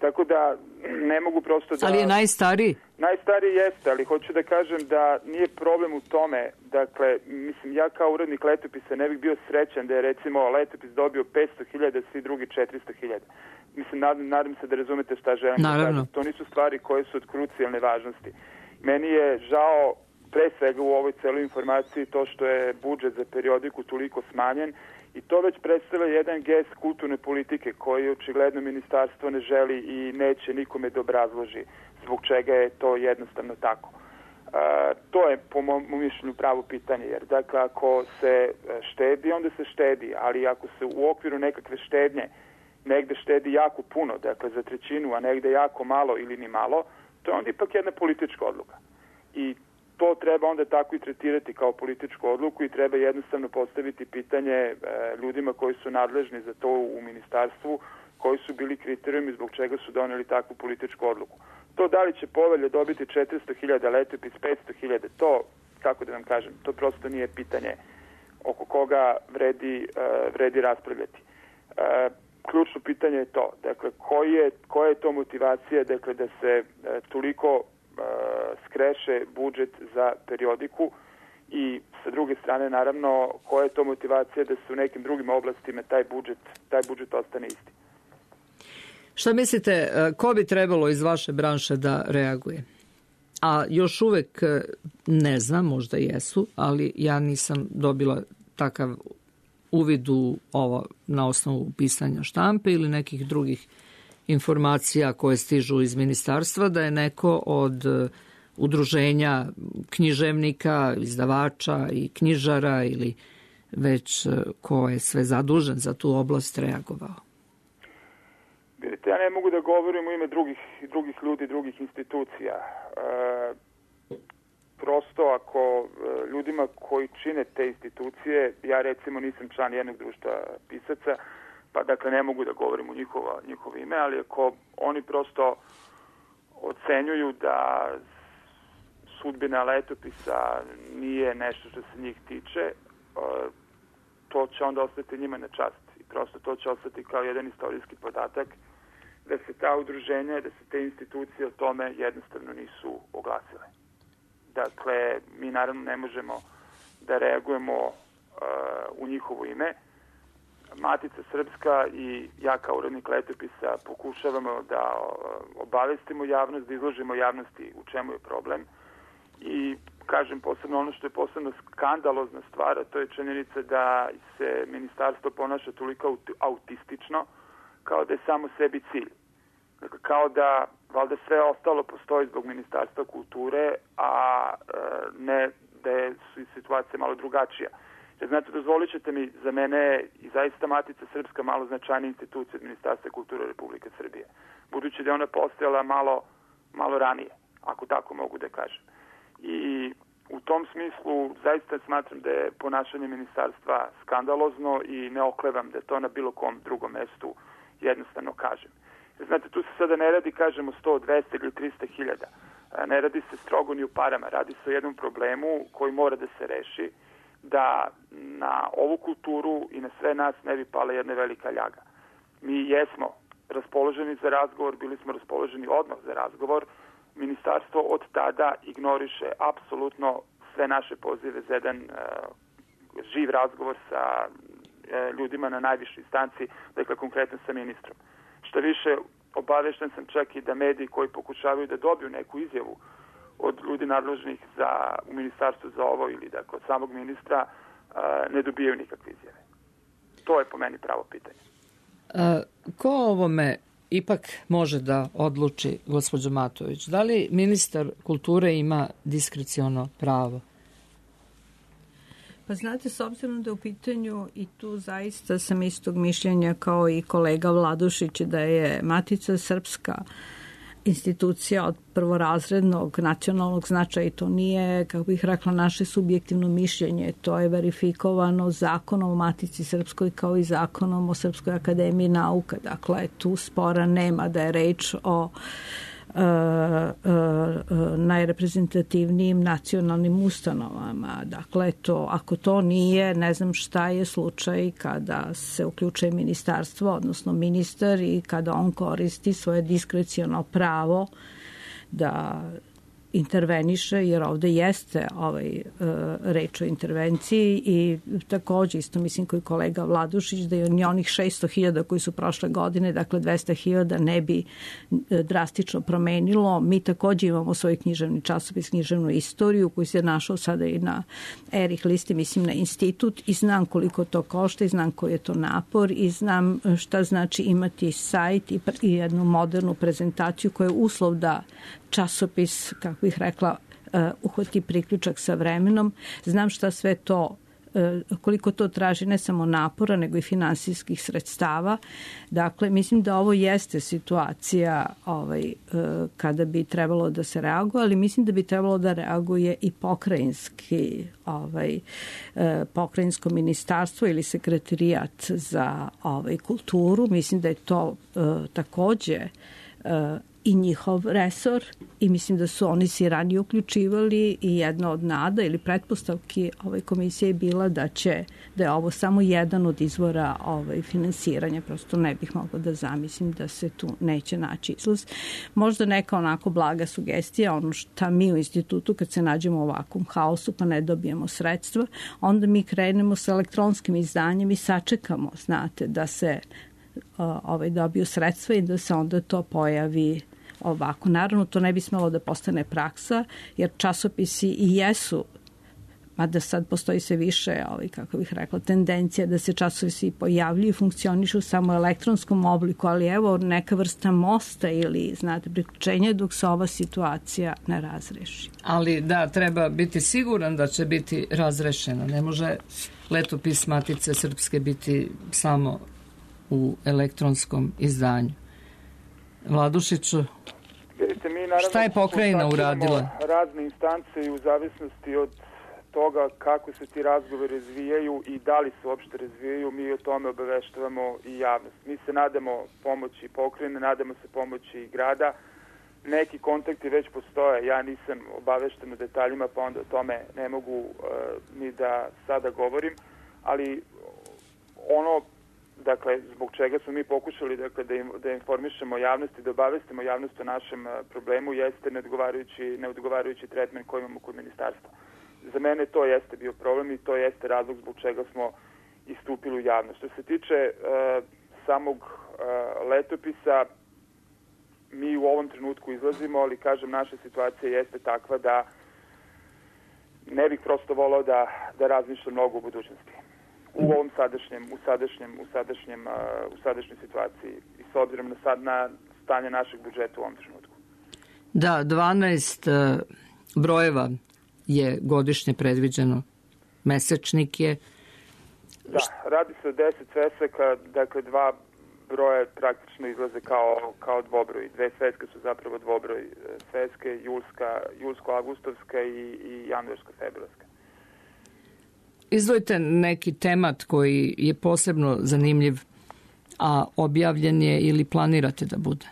Tako da ne mogu prosto da... Ali je najstariji? Najstariji jeste, ali hoću da kažem da nije problem u tome. Dakle, mislim, ja kao urednik letopisa ne bih bio srećan da je recimo letopis dobio 500.000, svi drugi 400.000. Mislim, nadam se da razumete šta želim da kažem. To nisu stvari koje su od krucijalne važnosti. Meni je žao pre svega u ovoj celoj informaciji to što je budžet za periodiku toliko smanjen i to već predstavlja jedan gest kulturne politike koji očigledno ministarstvo ne želi i neće nikome da obrazloži zbog čega je to jednostavno tako. To je po mom mišljenju pravo pitanje, jer dakle ako se štedi, onda se štedi, ali ako se u okviru nekakve štednje negde štedi jako puno, dakle za trećinu, a negde jako malo ili ni malo, to je onda ipak jedna politička odluka. I to treba onda tako i tretirati kao političku odluku i treba jednostavno postaviti pitanje ljudima koji su nadležni za to u ministarstvu, koji su bili kriterijumi zbog čega su doneli takvu političku odluku. To da li će Povelja dobiti 400.000, letopis 500.000, to, kako da vam kažem, to prosto nije pitanje oko koga vredi raspravljati. Ključno pitanje je to, dakle, koja je to motivacija, dakle, da se toliko skreše budžet za periodiku i sa druge strane, naravno, koja je to motivacija da se u nekim drugim oblastima taj budžet ostane isti. Šta mislite, ko bi trebalo iz vaše branše da reaguje? A još uvek ne znam, možda jesu, ali ja nisam dobila takav uvid u ovo na osnovu pisanja štampe ili nekih drugih informacija koje stižu iz ministarstva, da je neko od udruženja književnika, izdavača i knjižara ili već ko je sve zadužen za tu oblast reagovao. Vidite, ja ne mogu da govorim u ime drugih ljudi, drugih institucija. Prosto ako ljudima koji čine te institucije, ja recimo nisam član jednog društva pisaca, pa dakle ne mogu da govorim u njihovo ime, ali ako oni prosto ocenjuju da sudbina letopisa nije nešto što se njih tiče, to će onda ostati njima na čast. I prosto to će ostati kao jedan istorijski podatak da se ta udruženja, da se te institucije o tome jednostavno nisu oglasile. Dakle, mi naravno ne možemo da reagujemo u njihovo ime. Matica Srpska i ja kao urednik letopisa pokušavamo da obavestimo javnost, da izložimo javnosti u čemu je problem. I kažem posebno ono što je posebno skandalozna stvar, a to je činjenica da se ministarstvo ponaša toliko autistično, kao da je samo sebi cilj. Dakle, kao da valjda sve ostalo postoji zbog Ministarstva kulture, a ne da su i situacije malo drugačija. Jer znate, dozvolit ćete mi, za mene i zaista Matica Srpska malo značajna institucija od Ministarstva kulture Republike Srbije. Budući da je ona postojala malo ranije, ako tako mogu da kažem. I u tom smislu zaista smatram da je ponašanje ministarstva skandalozno i ne oklevam da to na bilo kom drugom mestu jednostavno kažem. Znate, tu se sada ne radi, kažemo, 100, 200 ili 300 hiljada. Ne radi se strogo ni u parama. Radi se o jednom problemu koji mora da se reši, da na ovu kulturu i na sve nas ne bi pala jedna velika ljaga. Mi jesmo raspoloženi za razgovor, bili smo raspoloženi odmah za razgovor. Ministarstvo od tada ignoriše apsolutno sve naše pozive za jedan živ razgovor sa ljudima na najvišoj instanci, dakle konkretno sa ministrom. Što više, obavešten sam čak i da mediji koji pokušavaju da dobiju neku izjavu od ljudi nadležnih u ministarstvu za ovo ili dakle od samog ministra ne dobijaju nikakve izjave. To je po meni pravo pitanje. Ko ovome ipak može da odluči, gospođo Matović? Da li ministar kulture ima diskreciono pravo? Pa znate, s obzirom da je u pitanju i tu zaista sam istog mišljenja kao i kolega Vladušić da je Matica Srpska institucija od prvorazrednog nacionalnog značaja i to nije, kako bih rekla, naše subjektivno mišljenje. To je verifikovano zakonom o Matici Srpskoj kao i zakonom o Srpskoj akademiji nauka. Dakle, tu spora nema da je reč o najreprezentativnijim nacionalnim ustanovama. Dakle, ako to nije, ne znam šta je slučaj kada se uključuje ministarstvo, odnosno ministar i kada on koristi svoje diskreciono pravo da interveniše, jer ovde jeste reč o intervenciji i takođe isto mislim koji kolega Vladušić da je onih 600.000 koji su prošle godine, dakle 200.000 ne bi drastično promenilo. Mi takođe imamo svoj književni časopis, književnu istoriju koji se našao sada i na Erich listi, mislim na institut i znam koliko to košta i znam koji je to napor i znam šta znači imati sajt i jednu modernu prezentaciju koja je uslov da časopis, kako bih rekla, uhvati priključak sa vremenom. Znam šta sve to, koliko to traži ne samo napora, nego i finansijskih sredstava. Dakle, mislim da ovo jeste situacija kada bi trebalo da se reaguje, ali mislim da bi trebalo da reaguje i pokrajinsko ministarstvo ili sekretarijat za kulturu. Mislim da je to takođe i njihov resor i mislim da su oni se ranije uključivali i jedna od nada ili pretpostavki ove komisije je bila da je ovo samo jedan od izvora finansiranja. Prosto ne bih mogla da zamislim da se tu neće naći izlaz. Možda neka onako blaga sugestija, ono šta mi u institutu kad se nađemo u ovakvom haosu pa ne dobijemo sredstva, onda mi krenemo sa elektronskim izdanjem i sačekamo, znate, da se dobiju sredstva i da se onda to pojavi ovako. Naravno, to ne bi smelo da postane praksa, jer časopisi i jesu, mada sad postoji sve više, kako bih rekla, tendencija da se časopisi pojavljuju i funkcionišu samo u elektronskom obliku, ali evo neka vrsta mosta ili, znate, priključenja dok se ova situacija ne razreši. Ali da, treba biti siguran da će biti razrešeno. Ne može letopis Matice Srpske biti samo u elektronskom izdanju. Vladušiću, Vidite, mi naravno šta je pokrajina uradila? Razne instance i u zavisnosti od toga kako se ti razgovori razvijaju i da li se uopšte razvijaju, mi o tome obaveštavamo i javnost. Mi se nadamo pomoći pokrajine, nadamo se pomoći grada. Neki kontakti već postoje, ja nisam obavešten o detaljima, pa onda o tome ne mogu ni da sada govorim, ali ono, dakle, zbog čega smo mi pokušali da informišemo javnost i da obavestimo javnost o našem problemu jeste neodgovarajući tretman koji imamo kod ministarstva. Za mene to jeste bio problem i to jeste razlog zbog čega smo istupili u javnost. Što se tiče samog letopisa, mi u ovom trenutku izlazimo, ali kažem, naša situacija jeste takva da ne bih prosto volao da razmišljam mnogo u budućnosti. U ovom sadašnjoj situaciji i s obzirom na stanje našeg budžeta u ovom trenutku. Da, 12 brojeva je godišnje predviđeno. Mesečnik je... Da, radi se o 10 svesaka, dakle 2 broje praktično izlaze kao dvobroj. 2 sveske su zapravo dvobroj sveske, julsko-avgustovska i januarsko-februarska. Izdvojite neki temat koji je posebno zanimljiv, a objavljen je ili planirate da bude?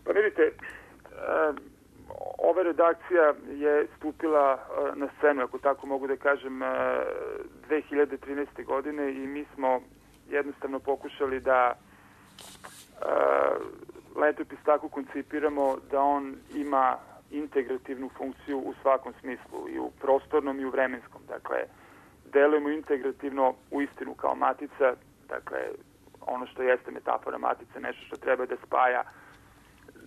Pa vidite, ova redakcija je stupila na scenu, ako tako mogu da kažem, 2013. godine i mi smo jednostavno pokušali da letopis tako koncipiramo da on ima integrativnu funkciju u svakom smislu, i u prostornom i u vremenskom. Dakle, delujemo integrativno u istinu kao matica, dakle, ono što jeste metafora matice, nešto što treba da spaja,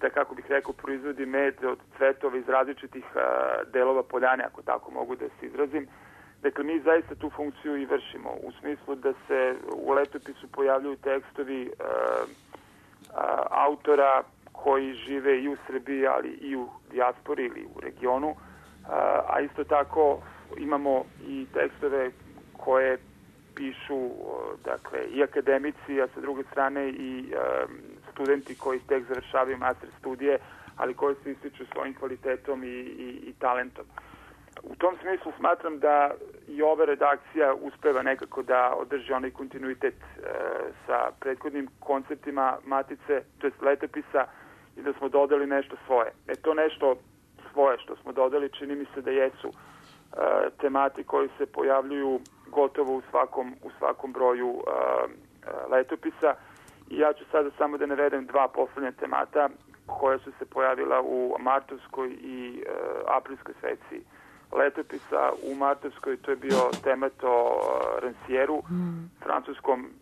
da, kako bih rekao, proizvodi med od cvetova iz različitih delova poljane, ako tako mogu da se izrazim. Dakle, mi zaista tu funkciju i vršimo, u smislu da se u letopisu pojavljuju tekstovi autora koji žive i u Srbiji, ali i u dijaspori ili u regionu, a isto tako imamo i tekstove koje pišu, dakle, i akademici, a sa druge strane i studenti koji tek završavaju master studije, ali koji se ističu svojim kvalitetom i talentom. U tom smislu smatram da i ova redakcija uspeva nekako da održi onaj kontinuitet sa prethodnim konceptima matice, to jest letopisa, i da smo dodali nešto svoje. To nešto svoje što smo dodali čini mi se da jesu temati koji se pojavljuju gotovo u svakom broju letopisa. I ja ću sada samo da navedem 2 poslednja temata koja su se pojavila u martovskoj i aprilskoj seciji letopisa. U martovskoj to je bio temat o Rancièru,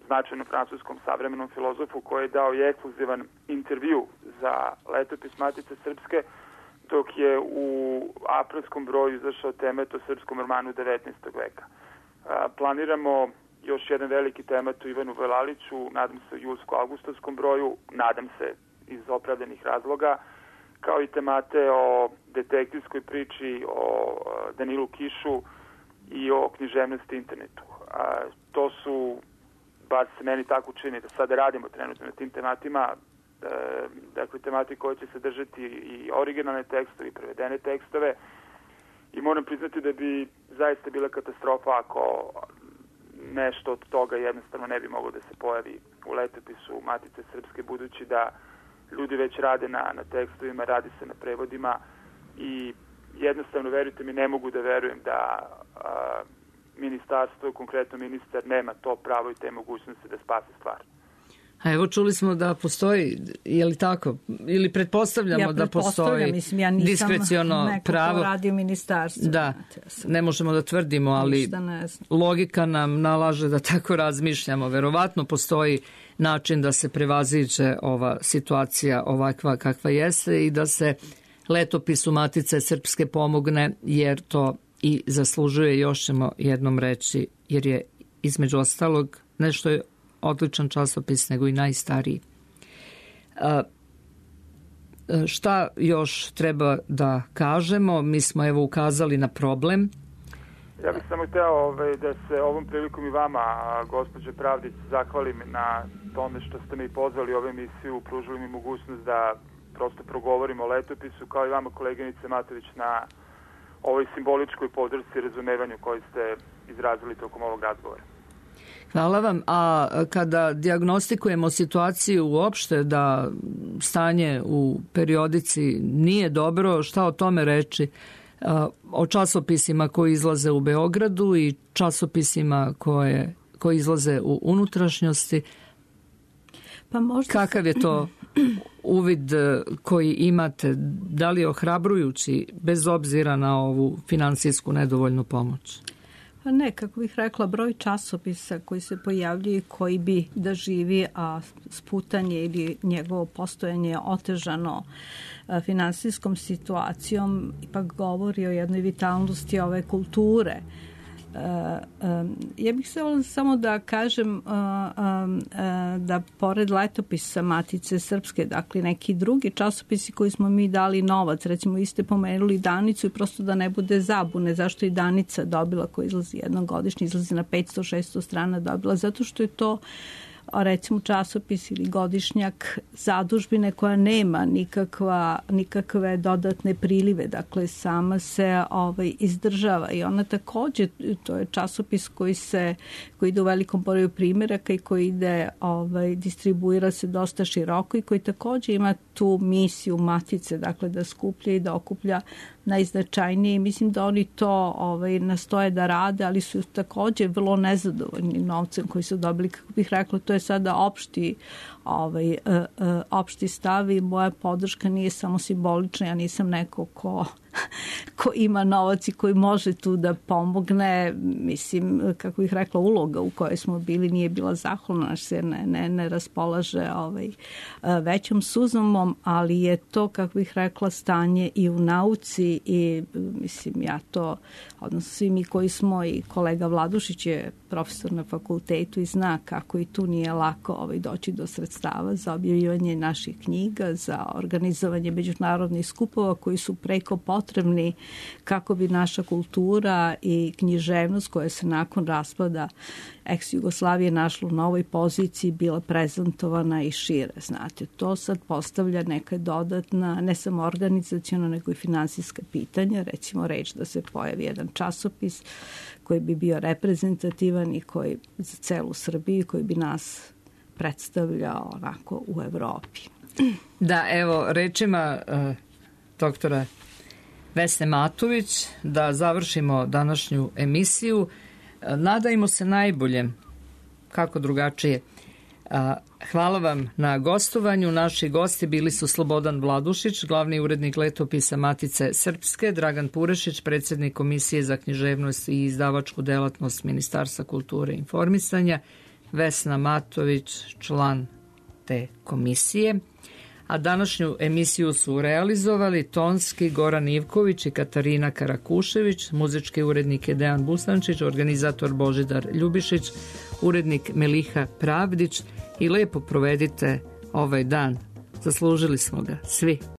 značajnom francuskom savremenom filozofu, koji je dao i ekskluzivan intervju za letopis Matice Srpske, dok je u aprilskom broju izašao temat o srpskom romanu 19. veka. Planiramo još jedan veliki temat o Ivanu Velaliću, nadam se u julsko-avgustovskom broju, nadam se iz opravdanih razloga, kao i temate o detektivskoj priči, o Danilu Kišu i o književnosti internetu. To su, bar se meni tako čini, da sada radimo trenutno na tim tematima, dakle temati koje će sadržati i originalne tekstove i prevedene tekstove, i moram priznati da bi zaista bila katastrofa ako nešto od toga jednostavno ne bi moglo da se pojavi u letopisu Matice Srpske, budući da ljudi već rade na tekstovima, radi se na prevodima i jednostavno, verujte mi, ne mogu da verujem da ministarstvo, konkretno ministar, nema to pravo i te mogućnosti da spase stvar. A evo, čuli smo da postoji, je li tako? Ili pretpostavljamo da postoji diskreciono pravo? Neko ko radi u ministarstvu. Da, ne možemo da tvrdimo, ali logika nam nalaže da tako razmišljamo. Verovatno postoji način da se prevaziđe ova situacija ovakva kakva jeste i da se letopisu Matice Srpske pomogne, jer to i zaslužuje, još ćemo jednom reći, jer je između ostalog nešto je odličan časopis, nego i najstariji. Šta još treba da kažemo? Mi smo evo ukazali na problem. Ja bih samo hteo da se ovom prilikom i vama, gospođo Pravdić, zahvalim na tome što ste me i pozvali u ovu emisiju, pružili mi mogućnost da prosto progovorimo o letopisu, kao i vama, koleginice Matović, na ovoj simboličkoj podršci i razumevanju koji ste izrazili tokom ovog razgovora. Hvala vam. A kada dijagnostikujemo situaciju uopšte da stanje u periodici nije dobro, šta o tome reći? O časopisima koji izlaze u Beogradu i časopisima koji izlaze u unutrašnjosti. Pa možda... Kakav je to uvid koji imate? Da li je ohrabrujući bez obzira na ovu finansijsku nedovoljnu pomoć? Pa ne, kako bih rekla, broj časopisa koji se pojavljaju, koji bi da živi, a sputanje ili njegovo postojanje otežano finansijskom situacijom, ipak govori o jednoj vitalnosti ove kulture. Ja bih se samo da kažem da pored letopisa Matice Srpske, dakle neki drugi časopisi koji smo mi dali novac, recimo vi ste pomenuli Danicu i prosto da ne bude zabune zašto i Danica dobila, koja izlazi jednogodišnje, izlazi na 500-600 strana, dobila zato što je to recimo časopis ili godišnjak zadužbine koja nema nikakve dodatne prilive, dakle sama se izdržava i ona takođe, to je časopis koji ide u velikom broju primjeraka i koji ide, distribuira se dosta široko i koji takođe ima tu misiju Matice, dakle da skuplja i da okuplja najznačajnije i mislim da oni to nastoje da rade, ali su takođe vrlo nezadovoljni novcem koji su dobili, kako bih rekla, to je sada opšti stav i moja podrška nije samo simbolična, ja nisam neko ko ima novac i koji može tu da pomogne. Mislim, kako bih rekla, uloga u kojoj smo bili nije bila zahvalna, se ne raspolaže većom suzumom, ali je to, kako bih rekla, stanje i u nauci i mislim, ja to, odnosno svi mi koji smo, i kolega Vladušić je profesor na fakultetu i zna kako i tu nije lako doći do sredstava za objavljivanje naših knjiga, za organizovanje međunarodnih skupova koji su preko potrebni kako bi naša kultura i književnost koja se nakon raspada ex-Jugoslavije našla u novoj poziciji bila prezentovana i šire. Znate, to sad postavlja neka dodatna, ne samo organizaciona, nego i finansijska pitanja. Recimo reč da se pojavi jedan časopis koji bi bio reprezentativan i koji za celu Srbiju, koji bi nas predstavljao onako u Evropi. Da, evo, rečima doktora Vesne Matović, da završimo današnju emisiju. Nadajmo se najboljem, kako drugačije. Hvala vam na gostovanju. Naši gosti bili su Slobodan Vladušić, glavni urednik letopisa Matice Srpske, Dragan Purešić, predsjednik Komisije za književnost i izdavačku delatnost Ministarstva kulture i informisanja, Vesna Matović, član te komisije. A današnju emisiju su realizovali tonski Goran Ivković i Katarina Karakušević, muzički urednik je Dejan Bustančić, organizator Božidar Ljubišić, urednik Meliha Pravdić i lepo provedite ovaj dan. Zaslužili smo ga svi.